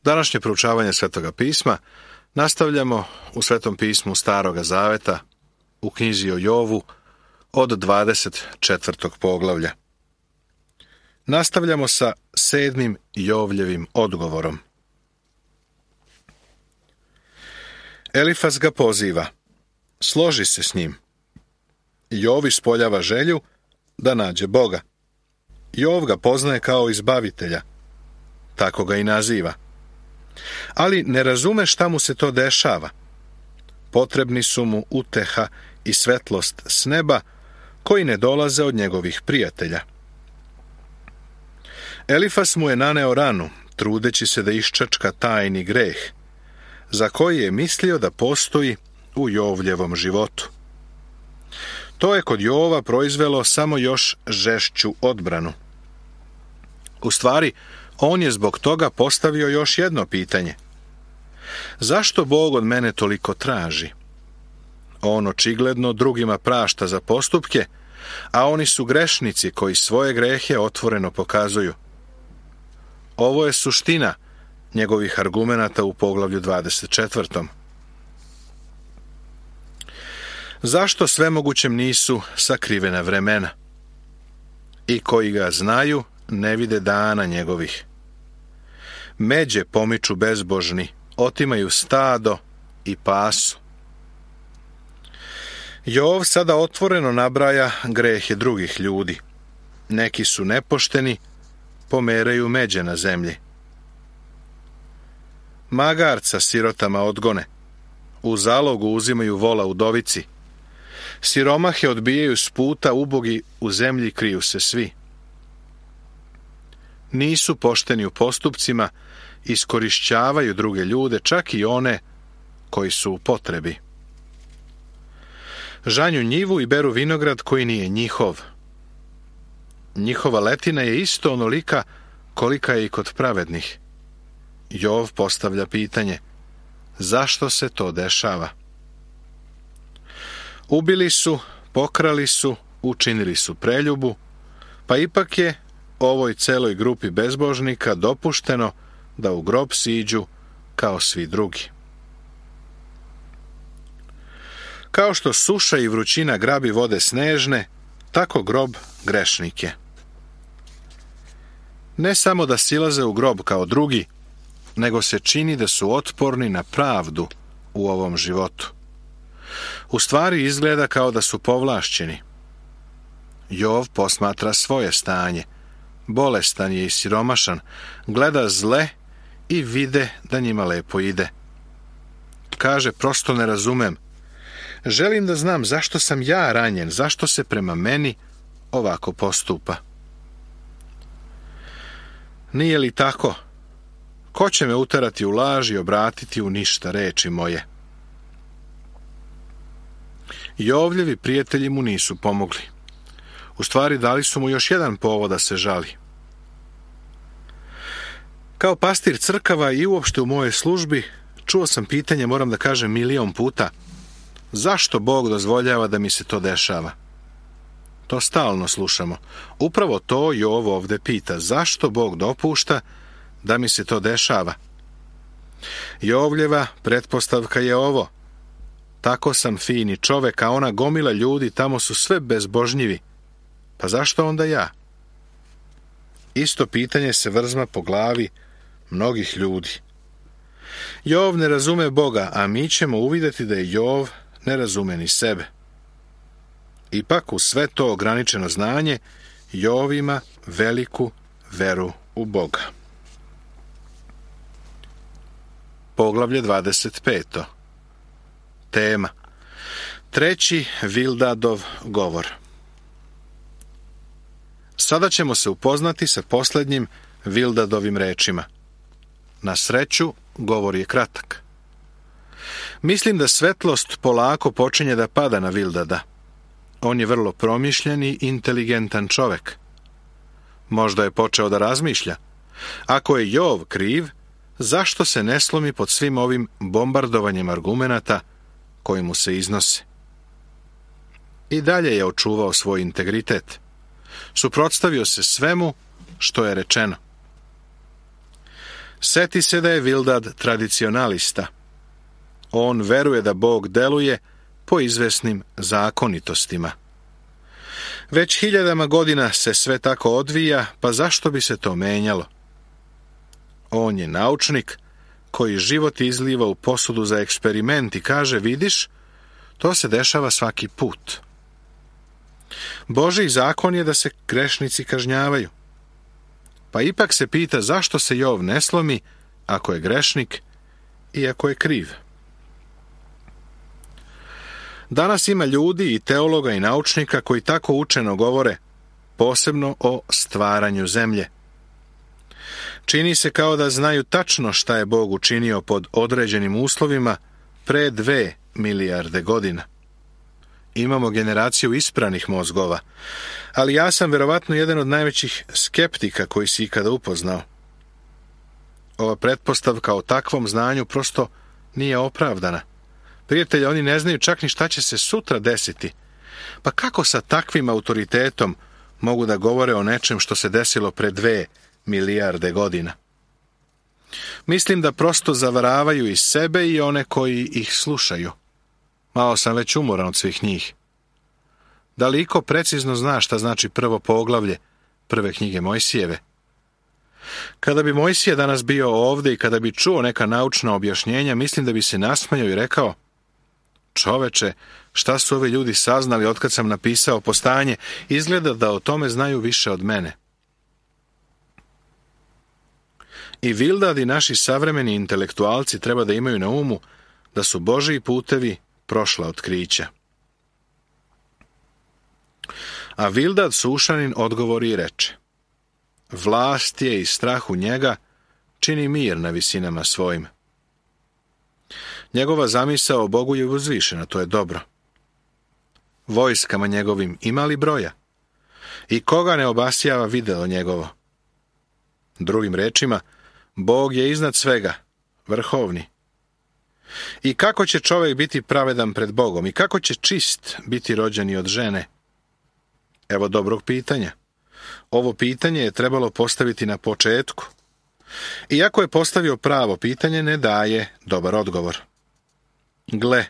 Današnje proučavanje Svetoga pisma nastavljamo u Svetom pismu Staroga Zaveta, u knjizi o Jovu, od 24. poglavlja. Nastavljamo sa 7. Jovljevim odgovorom. Elifaz ga poziva, složi se s njim. Jov ispoljava želju da nađe Boga. Jov ga poznaje kao izbavitelja, tako ga i naziva. Ali ne razume šta mu se to dešava. Potrebni su mu uteha i svetlost s neba, koji ne dolaze od njegovih prijatelja. Elifas mu je naneo ranu, trudeći se da iščačka tajni greh, za koji je mislio da postoji u Jovljevom životu. To je kod Jova proizvelo samo još žešću odbranu. U stvari, on je zbog toga postavio još jedno pitanje. Zašto Bog od mene toliko traži? On očigledno drugima prašta za postupke, a oni su grešnici koji svoje grehe otvoreno pokazuju. Ovo je suština njegovih argumenata u poglavlju 24. Zašto svemogućem nisu sakrivena vremena? I koji ga znaju, ne vide dana njegovih. Međe pomiču bezbožni, otimaju stado i pasu. Jov sada otvoreno nabraja grehe drugih ljudi. Neki su nepošteni, pomeraju međe na zemlji. Magarca sirotama odgone, u zalogu uzimaju vola udovici. Siromahe odbijaju s puta, ubogi u zemlji kriju se svi. Nisu pošteni u postupcima, iskorišćavaju druge ljude, čak i one koji su u potrebi. Žanju njivu i beru vinograd koji nije njihov. Njihova letina je isto onolika kolika je i kod pravednih. Jov postavlja pitanje, zašto se to dešava? Ubili su, pokrali su, učinili su preljubu, pa ipak je ovoj celoj grupi bezbožnika dopušteno da u grob siđu kao svi drugi. Kao što suša i vrućina grabi vode snežne, tako grob grešnike. Ne samo da silaze u grob kao drugi, nego se čini da su otporni na pravdu u ovom životu. U stvari izgleda kao da su povlašćeni. Jov posmatra svoje stanje. Bolestan je i siromašan, gleda zle i vide da njima lepo ide. Kaže, prosto ne razumem. Želim da znam zašto sam ja ranjen, zašto se prema meni ovako postupa. Nije li tako? Ko će me uterati u laž i obratiti u ništa reči moje? Jovljevi prijatelji mu nisu pomogli. U stvari dali su mu još jedan povod da se žali. Kao pastir crkava i uopšte u mojoj službi čuo sam pitanje, moram da kažem 1.000.000 puta, zašto Bog dozvoljava da mi se to dešava? To stalno slušamo. Upravo to Jov ovde pita, zašto Bog dopušta da mi se to dešava? Jovljeva pretpostavka je ovo. Tako sam fini čovek, a ona gomila ljudi tamo su sve bezbožnjivi. Pa zašto onda ja? Isto pitanje se vrzma po glavi mnogih ljudi. Jov ne razume Boga, a mi ćemo uvidjeti da je Jov ne razume ni sebe. Ipak u sve to ograničeno znanje Jov ima veliku veru u Boga. Poglavlje 25. Tema. 3. Vildadov govor. Sada ćemo se upoznati sa posljednjim Vildadovim rečima. Na sreću, govor je kratak. Mislim da svetlost polako počinje da pada na Vildada. On je vrlo promišljen i inteligentan čovek. Možda je počeo da razmišlja. Ako je Jov kriv, zašto se ne slomi pod svim ovim bombardovanjem argumenata koji mu se iznose? I dalje je očuvao svoj integritet. Suprotstavio se svemu što je rečeno. Seti se da je Bildad tradicionalista. On veruje da Bog deluje po izvesnim zakonitostima. Već hiljadama godina se sve tako odvija, pa zašto bi se to menjalo? On je naučnik koji život izliva u posudu za eksperiment i kaže, vidiš, to se dešava svaki put. Božji zakon je da se grešnici kažnjavaju. Pa ipak se pita zašto se Jov ne slomi ako je grešnik i ako je kriv. Danas ima ljudi i teologa i naučnika koji tako učeno govore, posebno o stvaranju zemlje. Čini se kao da znaju tačno šta je Bog učinio pod određenim uslovima pre 2 milijarde godina. Imamo generaciju ispranih mozgova, ali ja sam verovatno jedan od najvećih skeptika koji si ikada upoznao. Ova pretpostavka o takvom znanju prosto nije opravdana. Prijatelji, oni ne znaju čak ni šta će se sutra desiti. Pa kako sa takvim autoritetom mogu da govore o nečem što se desilo pre 2 milijarde godina? Mislim da prosto zavaravaju i sebe i one koji ih slušaju. Malo sam već umoran od svih njih. Da li iko precizno zna šta znači prvo poglavlje prve knjige Mojsijeve? Kada bi Mojsije danas bio ovde i kada bi čuo neka naučna objašnjenja, mislim da bi se nasmejao i rekao, čoveče, šta su ovi ljudi saznali otkad sam napisao Postanje, izgleda da o tome znaju više od mene. I Bildad i naši savremeni intelektualci treba da imaju na umu da su Božji putevi prošla otkrića. A Bildad Sušanin odgovori i reče, vlast je i strah u njega čini mir na visinama svojim. Njegova zamisao o Bogu je uzvišena, to je dobro. Vojskama njegovim ima li broja? I koga ne obasjava videlo njegovo? Drugim rečima, Bog je iznad svega, vrhovni. I kako će čovjek biti pravedan pred Bogom? I kako će čist biti rođeni od žene? Evo dobrog pitanja. Ovo pitanje je trebalo postaviti na početku. Iako je postavio pravo pitanje, ne daje dobar odgovor. Gle,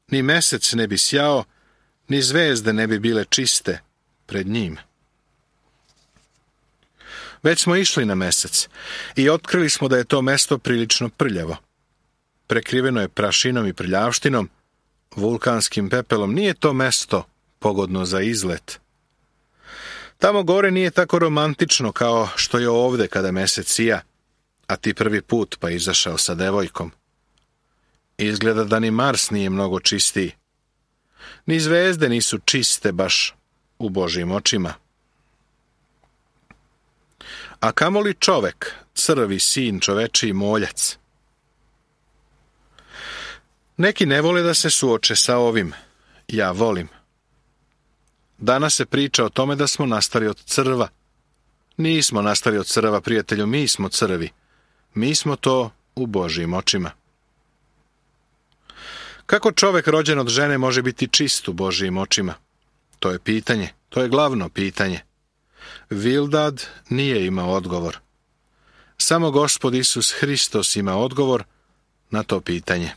ni mesec ne bi sjao, ni zvezde ne bi bile čiste pred njim. Već smo išli na mesec i otkrili smo da je to mesto prilično prljavo. Prekriveno je prašinom i prljavštinom, vulkanskim pepelom. Nije to mesto pogodno za izlet. Tamo gore nije tako romantično kao što je ovde kada mesec sija, a ti prvi put pa izašao sa devojkom. Izgleda da ni Mars nije mnogo čistiji. Ni zvezde nisu čiste baš u Božjim očima. A kamoli čovek, crvi sin čovečiji moljac. Neki ne vole da se suoče sa ovim. Ja volim. Danas se priča o tome da smo nastali od crva. Nismo nastali od crva, prijatelju, mi smo crvi. Mi smo to u Božjim očima. Kako čovek rođen od žene može biti čist u Božjim očima? To je pitanje, to je glavno pitanje. Bildad nije imao odgovor. Samo Gospod Isus Hristos ima odgovor na to pitanje.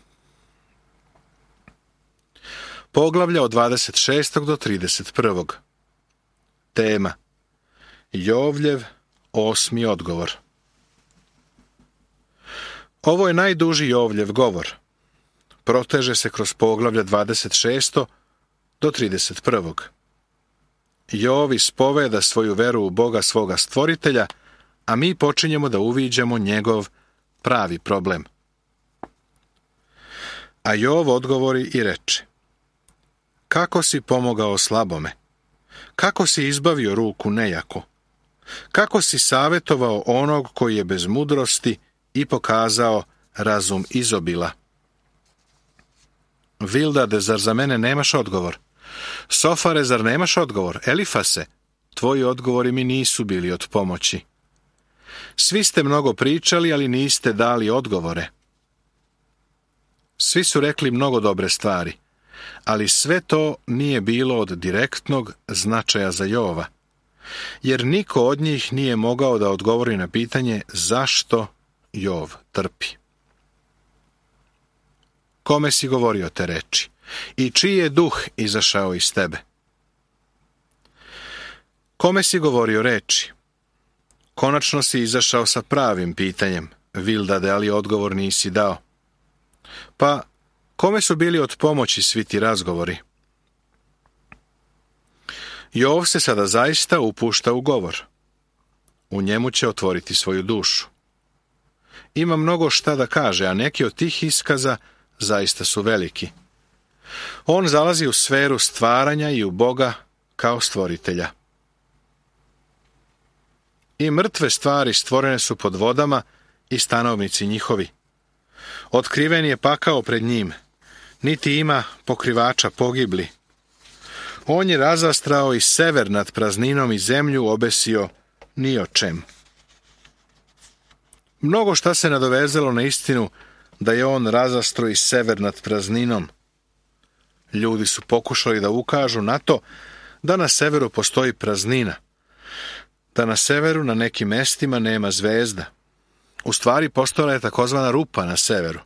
Poglavlja od 26. do 31. Tema: Jovljev 8. odgovor. Ovo je najduži Jovljev govor. Proteže se kroz poglavlja 26. do 31. Jov ispoveda svoju veru u Boga svoga stvoritelja, a mi počinjemo da uviđamo njegov pravi problem. A Jov odgovori i reče: kako si pomogao slabome? Kako si izbavio ruku nejako? Kako si savjetovao onog koji je bez mudrosti i pokazao razum izobila? Bildade, zar za mene nemaš odgovor? Sofare, zar nemaš odgovor? Elifase, tvoji odgovori mi nisu bili od pomoći. Svi ste mnogo pričali, ali niste dali odgovore. Svi su rekli mnogo dobre stvari, ali sve to nije bilo od direktnog značaja za Jova, jer niko od njih nije mogao da odgovori na pitanje zašto Jov trpi. Kome si govorio te reči? I čiji je duh izašao iz tebe? Kome si govorio reči? Konačno si izašao sa pravim pitanjem, Vildade, ali odgovor nisi dao. Pa, kome su bili od pomoći svi ti razgovori? Jov se sada zaista upušta u govor. U njemu će otvoriti svoju dušu. Ima mnogo šta da kaže, a neki od tih iskaza zaista su veliki. On zalazi u sferu stvaranja i u Boga kao stvoritelja. I mrtve stvari stvorene su pod vodama i stanovnici njihovi. Otkriven je pakao pred njim, niti ima pokrivača pogibli. On je razastrao i sever nad prazninom i zemlju obesio ni o čem. Mnogo šta se nadovezalo na istinu da je on razastro i sever nad prazninom. Ljudi su pokušali da ukažu na to da na severu postoji praznina, da na severu na nekim mestima nema zvezda. U stvari postojala je takozvana rupa na severu.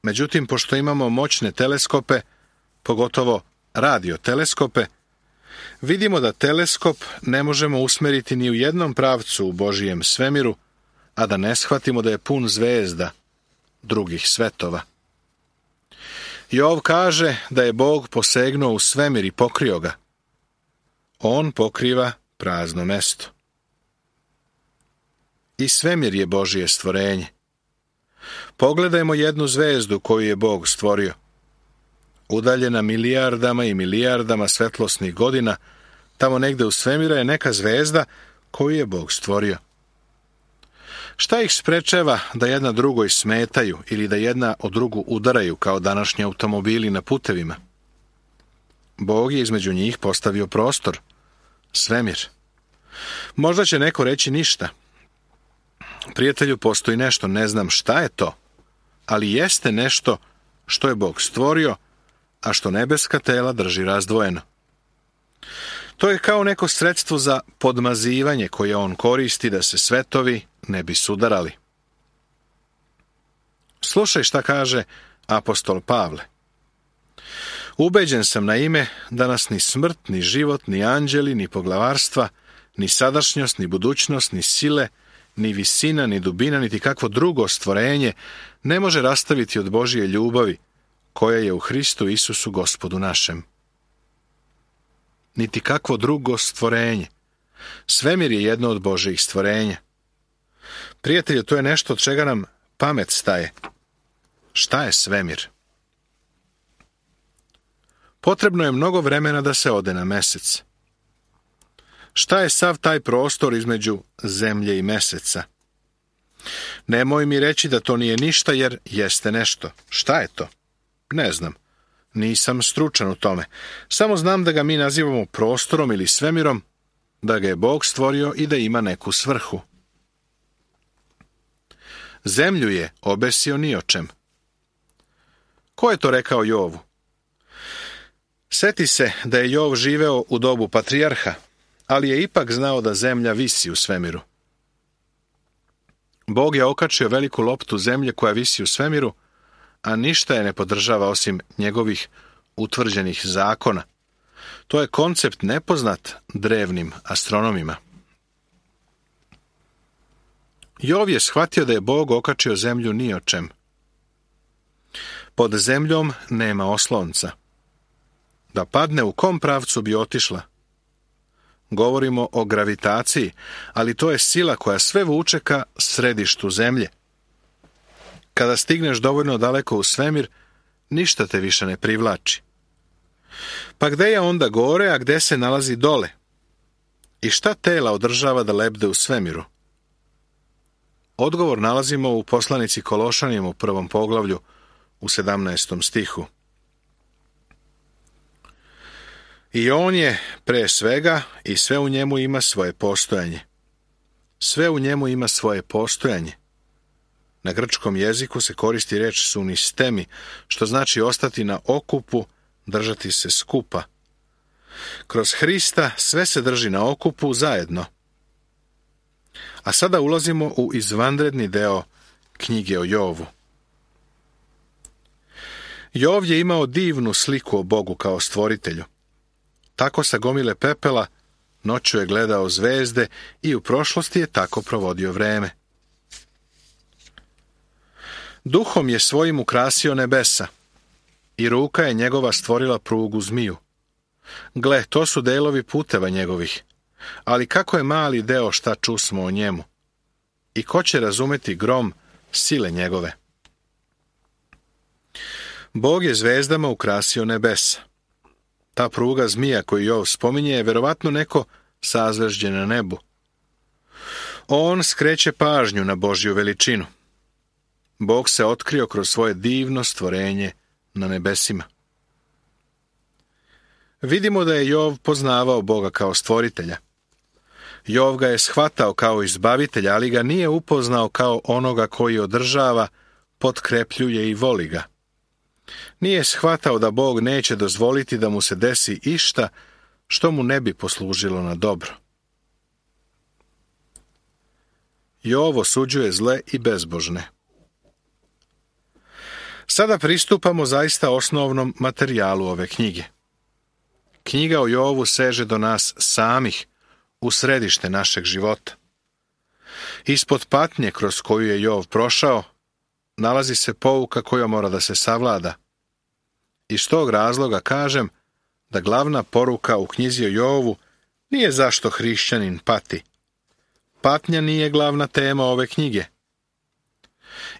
Međutim, pošto imamo moćne teleskope, pogotovo radioteleskope, vidimo da teleskop ne možemo usmeriti ni u jednom pravcu u Božijem svemiru, a da ne shvatimo da je pun zvezda drugih svetova. Jov kaže da je Bog posegnuo u svemir i pokrio ga. On pokriva prazno mesto. I svemir je Božije stvorenje. Pogledajmo jednu zvezdu koju je Bog stvorio. Udaljena milijardama i milijardama svetlosnih godina, tamo negde u svemira je neka zvezda koju je Bog stvorio. Šta ih sprečava da jedna drugoj smetaju ili da jedna od drugu udaraju kao današnji automobili na putevima? Bog je između njih postavio prostor, svemir. Možda će neko reći ništa. Prijatelju, postoji nešto, ne znam šta je to, ali jeste nešto što je Bog stvorio, a što nebeska tela drži razdvojeno. To je kao neko sredstvo za podmazivanje koje on koristi da se svetovi ne bi sudarali. Slušaj šta kaže apostol Pavle. Ubeđen sam na ime da nas ni smrt, ni život, ni anđeli, ni poglavarstva, ni sadašnjost, ni budućnost, ni sile, ni visina, ni dubina, niti kakvo drugo stvorenje ne može rastaviti od Božije ljubavi, koja je u Hristu Isusu Gospodu našem. Niti kakvo drugo stvorenje. Svemir je jedno od Božijih stvorenja. Prijatelju, to je nešto od čega nam pamet staje. Šta je svemir? Potrebno je mnogo vremena da se ode na mesec. Šta je sav taj prostor između zemlje i meseca? Nemoj mi reći da to nije ništa, jer jeste nešto. Šta je to? Ne znam. Nisam stručan u tome. Samo znam da ga mi nazivamo prostorom ili svemirom, da ga je Bog stvorio i da ima neku svrhu. Zemlju je obesio ni o čem. Ko je to rekao Jovu? Seti se da je Jov živeo u dobu patrijarha, ali je ipak znao da zemlja visi u svemiru. Bog je okačio veliku loptu zemlje koja visi u svemiru, a ništa je ne podržava osim njegovih utvrđenih zakona. To je koncept nepoznat drevnim astronomima. Jov je shvatio da je Bog okačio zemlju ni o čem. Pod zemljom nema oslonca. Da padne u kom pravcu bi otišla? Govorimo o gravitaciji, ali to je sila koja sve vuče ka središtu zemlje. Kada stigneš dovoljno daleko u svemir, ništa te više ne privlači. Pa gde je onda gore, a gde se nalazi dole? I šta tela održava da lebde u svemiru? Odgovor nalazimo u poslanici Kološanima u 1. poglavlju u 17. stihu. I on je pre svega i sve u njemu ima svoje postojanje. Sve u njemu ima svoje postojanje. Na grčkom jeziku se koristi reč sunistemi, što znači ostati na okupu, držati se skupa. Kroz Hrista sve se drži na okupu zajedno. A sada ulazimo u izvanredni deo knjige o Jovu. Jov je imao divnu sliku o Bogu kao stvoritelju. Tako sa gomile pepela noću je gledao zvezde i u prošlosti je tako provodio vreme. Duhom je svojim ukrasio nebesa i ruka je njegova stvorila prugu zmiju. Gle, to su delovi puteva njegovih, ali kako je mali deo šta čusmo o njemu. I ko će razumeti grom sile njegove? Bog je zvezdama ukrasio nebesa. Ta pruga zmija koju Jov spominje je verovatno neko sazvežđe na nebu. On skreće pažnju na Božju veličinu. Bog se otkrio kroz svoje divno stvorenje na nebesima. Vidimo da je Jov poznavao Boga kao stvoritelja. Jov ga je shvatao kao izbavitelja, ali ga nije upoznao kao onoga koji održava, potkrepljuje i voli ga. Nije shvatao da Bog neće dozvoliti da mu se desi išta što mu ne bi poslužilo na dobro. Jov osuđuje zle i bezbožne. Sada pristupamo zaista osnovnom materijalu ove knjige. Knjiga o Jovu seže do nas samih, u središte našeg života. Ispod patnje kroz koju je Jov prošao, nalazi se pouka koja mora da se savlada. Iz tog razloga kažem da glavna poruka u knjizi o Jovu nije zašto hrišćanin pati. Patnja nije glavna tema ove knjige.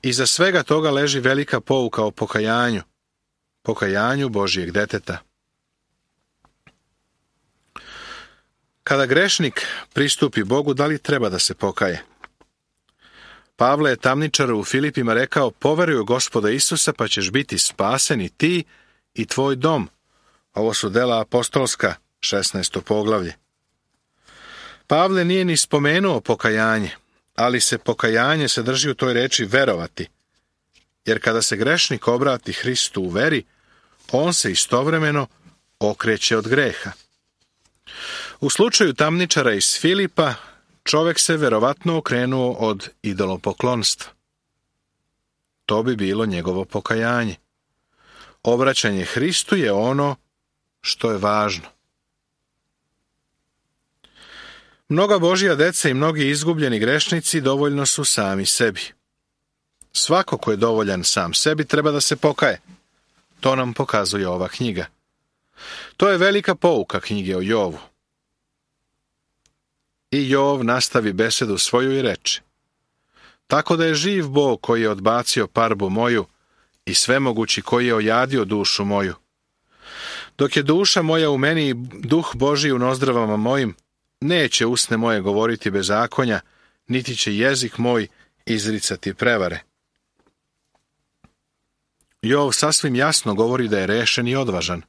Iza svega toga leži velika pouka o pokajanju Božijeg deteta. Kada grešnik pristupi Bogu, da li treba da se pokaje? Pavle je tamničaru u Filipima rekao: poveruj u Gospoda Isusa, pa ćeš biti spasen i ti i tvoj dom. Ovo su dela apostolska, 16. poglavlje. Pavle nije ni spomenuo pokajanje, ali se pokajanje sadrži u toj reči verovati. Jer kada se grešnik obrati Hristu u veri, on se istovremeno okreće od greha. U slučaju tamničara iz Filipa, čovjek se verovatno okrenuo od idolopoklonstva. To bi bilo njegovo pokajanje. Obraćanje Hristu je ono što je važno. Mnoga Božja deca i mnogi izgubljeni grešnici dovoljno su sami sebi. Svako ko je dovoljan sam sebi treba da se pokaje. To nam pokazuje ova knjiga. To je velika pouka knjige o Jovu. I Jov nastavi besedu svoju i reče: tako da je živ Bog koji je odbacio parbu moju i svemogući koji je ojadio dušu moju. Dok je duša moja u meni i duh Božji u nozdravama mojim, neće usne moje govoriti bezakonja, niti će jezik moj izricati prevare. Jov sasvim jasno govori da je rešen i odvažan.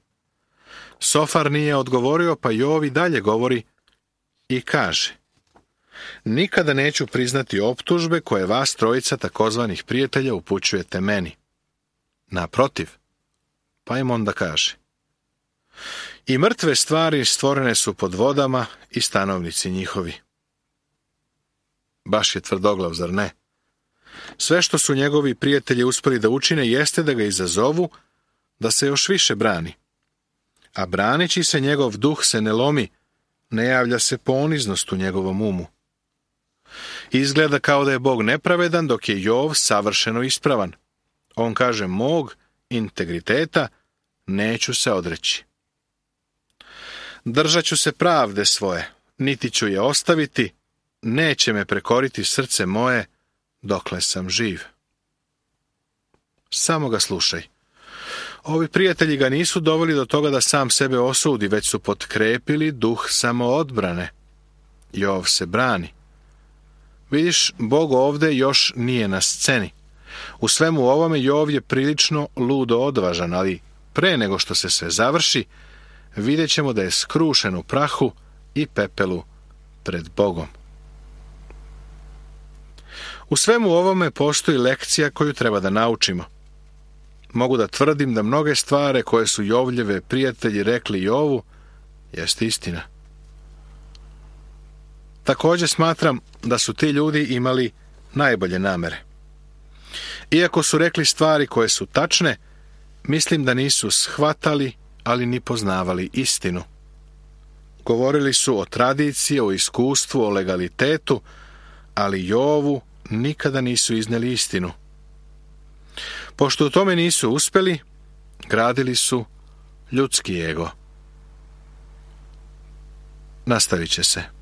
Sofar nije odgovorio, pa Jov i dalje govori i kaže: nikada neću priznati optužbe koje vas trojica takozvanih prijatelja upućujete meni. Naprotiv, pa im onda kaže: i mrtve stvari stvorene su pod vodama i stanovnici njihovi. Baš je tvrdoglav, zar ne? Sve što su njegovi prijatelji uspeli da učine jeste da ga izazovu da se još više brani. A braneći se, njegov duh se ne lomi, ne javlja se poniznost u njegovom umu. Izgleda kao da je Bog nepravedan, dok je Jov savršeno ispravan. On kaže: mog integriteta neću se odreći. Držat ću se pravde svoje, niti ću je ostaviti, neće me prekoriti srce moje dokle sam živ. Samo ga slušaj. Ovi prijatelji ga nisu doveli do toga da sam sebe osudi, već su potkrepili duh samoodbrane. Jov se brani. Vidiš, Bog ovde još nije na sceni. U svemu ovome Jov je prilično ludo odvažan, ali pre nego što se sve završi, vidjet ćemo da je skrušen u prahu i pepelu pred Bogom. U svemu ovome postoji lekcija koju treba da naučimo. Mogu da tvrdim da mnoge stvari koje su Jovljeve prijatelji rekli Jovu jeste istina. Također smatram da su ti ljudi imali najbolje namere. Iako su rekli stvari koje su tačne, mislim da nisu shvatali, ali ni poznavali istinu. Govorili su o tradiciji, o iskustvu, o legalitetu, ali Jovu nikada nisu iznijeli istinu. Pošto u tome nisu uspjeli, gradili su ljudski ego. Nastavit će se.